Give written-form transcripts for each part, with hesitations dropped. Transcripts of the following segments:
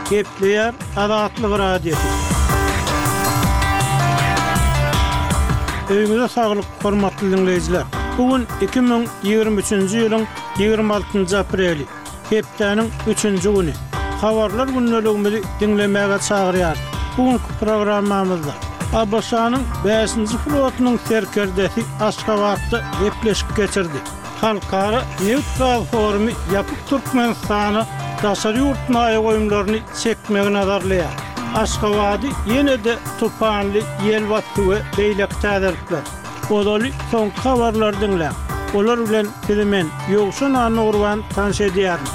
Gepleýär Azatlyk Radiosy. Öýüňize saglyk, hormatly diňleýjiler! Bu gün 2023-nji ýylyň 26-njy apreli, hepdäniň üçünji güni. Habarlar gündeligimizi diňlemäge çagyrýarys. Bu günki programmamyzda ABŞ-nyň bäşinji flotunyň serkerdesi Aşgabatda gepleşik geçirdi. Halkara nebit-gaz forumy ýapyk Türkmenistana daşary ýurt maýa goýumlaryny çekmegi nazarlaýar. Aşgabady ýene-de tupanly ýel basdy we beýleki täzelikler. Ozaly soňky habarlary diňläň. Olar bilen sizi men, Ýowşan Annagurban tanyş edýärin.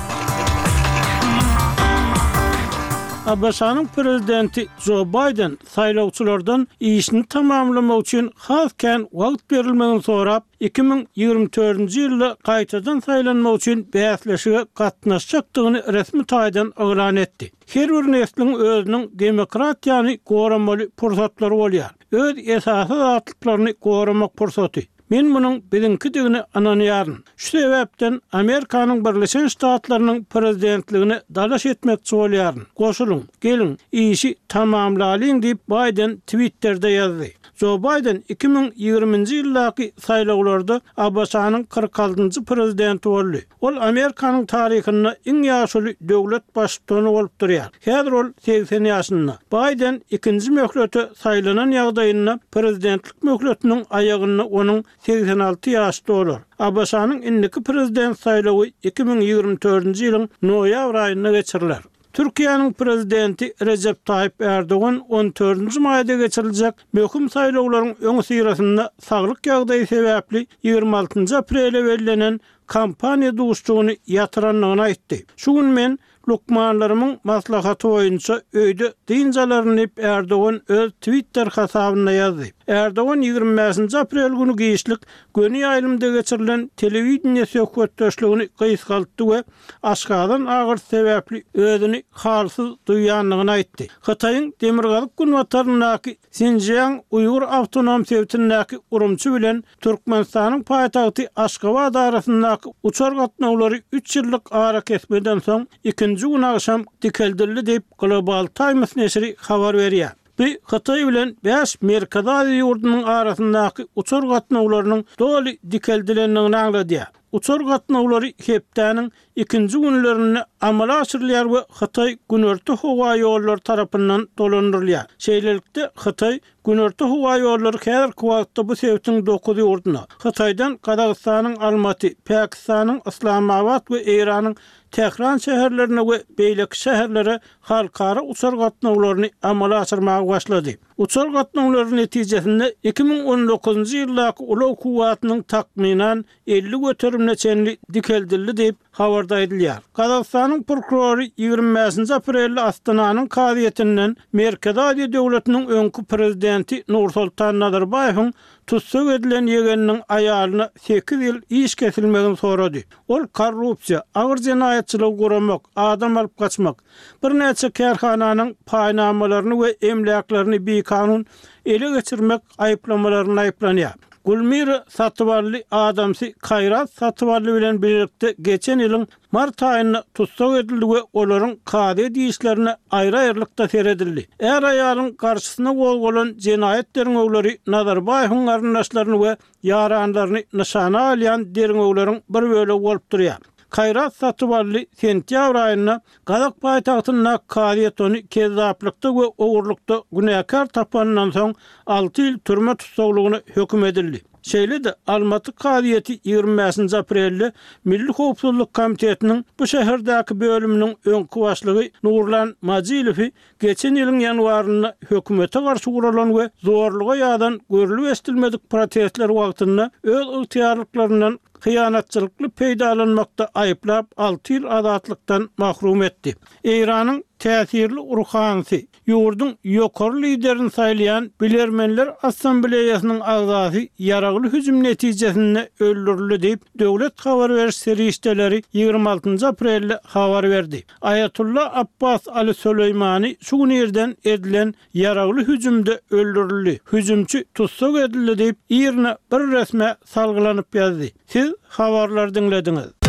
ABŞ-nyň prezidenti Jo Baýden saýlawçylardan işini tamamlamak üçin has kän wagt berilmegini sorap, 2024-nji ýylda gaýtadan saýlanmak üçin bäsleşige gatnaşjakdygyny resmi taýdan yglan etdi. Her bir nesliň özüniň demokratiýany goramaly pursatlary bolýar. Öz esasy azatlyklaryny goramak pursaty. Men munuň biziňkidigine ynanýaryn. Şu sebäpden Amerikanyň Birleşen Ştatlarynyň prezidentligine dalaş etmekçi bolýaryn. Goşulyň, geliň, işi tamamlalyň diýip, Baýden Twitterde ýazdy. Jo Baýden 2020-nji ýyldaky saýlawlarda ABŞ-nyň 46-njy prezidenti boldy. Ol Amerikanyň taryhynda iň ýaşuly döwlet baştutany bolup durýar. Häzir ol 80 ýaşynda. Baýden ikinji möhlete saýlanan ýagdaýynda prezidentlik möhletiniň aýagynda onuň 86 ýaşy dolar. ABŞ-nyň indiki prezident saýlawy 2024-nji ýylyň noýabr aýynda geçiriler. Türkiýäniň Prezidenti Rejep Taýyp Ärdogan on dördünji maýda geçiriljek möhüm saýlawlaryň öňüsyrasynda saglyk ýagdaýy sebäpli 26 njy aprele bellenen kampaniýa duşuşygyny ýatyrandygyny aýtdy. Şu gün men lukmanlarymyň maslahaty boýunça öýde dynç alaryn diýip Ärdogan öz Twitter hasabynda ýazdy. Ärdogan 25 nji aprel güni giçlik göni ýaýlymda geçirilen telewideniýe söhbetdeşligini gysgaltdy we aşgazan agyrysy sebäpli özüni halsyz duýýandygyny aýtdy. Hytaýyň demirgazyk-günbataryndaky Sinjiang uýgur awtonom sebitindäki Urumçy bilen Türkmenistanyň paýtagty Aşgabat arasyndaky uçar gatnawlary üç ýyllyk arakesmeden soň ikinji gün agşam dikeldildi diýip, Global Times neşiri habar berýär. Bu Hytaý bilen bäş Merkezi Aziýa ýurdunyň arasyndaky uçar gatnawlarynyň doly dikeldilendigini aňladýar. Uçar gatnawlary hepdäniň ikinji günlerinde amala aşyrylýar we Hytaý Günorta howa ýollary tarapyndan dolandyrylýar. Şeýlelikde, Hytaý Günorta howa ýollary häzirki wagtda bu sebitiň dokuz ýurduna, Hytaýdan Gazagystanyň Almaty, Pakistanyň Yslamabat we Eýranyň Tähran şäherlerine we beýleki şäherlere halkara uçar gatnawlaryny amala aşyrmaga başlady. Uçar gatnawlary netijesinde 2019-njy ýyldaky ulag kuwwatynyň takmynan 50 göterimine çenli dikeldildi diýip, habarda aýdylýar. Gazagystanyň prokurory 25-nji aprelde Astananyň kazyýetinden Merkezi Aziýa döwletiniň öňki prezidenti Nursultan Nazarbaýewiň tussag edilen ýegeniniň aýalyna sekiz ýyl iş kesilmegini sorady. Ol korrupsiýa, agyr jenaýatçylygy guramak, adam alyp gaçmak, birnäçe kärhananyň paýnamalaryny we emläklerini bikanun ele geçirmek aýyplamalarynda aýyplanýar. Gulmira Satybally adamsy Kaýrat Satybally bilen bilelikde geçen ýylyň mart aýynda tussag edildi we olaryň kazyýet işlerine aýry-aýrylykda seredildi. Är-aýalyň garşysyna gozgalan jenaýat derňewleri Nazarbaýewiň garyndaşlaryny we ýaranlaryny nyşana alýan derňewleriň bir bölegi bolup durýar. Kaýrat Satybaldy sentýabr aýynda gazak paýtagtyndaky kazyýet ony kezzaplykda we ogurlykda günäkär tapanyndan soň alty ýyl türme tussaglygyna höküm edildi. Şeýle-de, Almaty kazyýeti 25-nji aprelde Milli howpsuzlyk komitetiniň bu şäherdäki bölüminiň öňki başlygy Nurlan Majilowy Geçen ýylyň ýanwarynda hökümete garşy guralan we zorluga ýazan görlüp-eşidilmedik protestler wagtynda öz ygtyýarlyklaryndan hyýanatçylykly peýdalanmakda aýyplap, alty ýyl azatlykdan mahrum etdi. Eýranyň täsirli ruhanysy, ýurduň ýokary liderini saýlaýan Bilermenler assambleýasynyň agzasy ýaragly hüjüm netijesinde öldürildi diýip, döwlet habar beriş serişdeleri 26 aprelde habar berdi. Aýatolla Abbas Ali Soleýmani şu gün irden edilen ýaragly hüjümde öldürildi, hüjümçi tussag edildi diýip, IRNA bir resmä salgylanyp ýazdy. Siz habarlary diňlediňiz.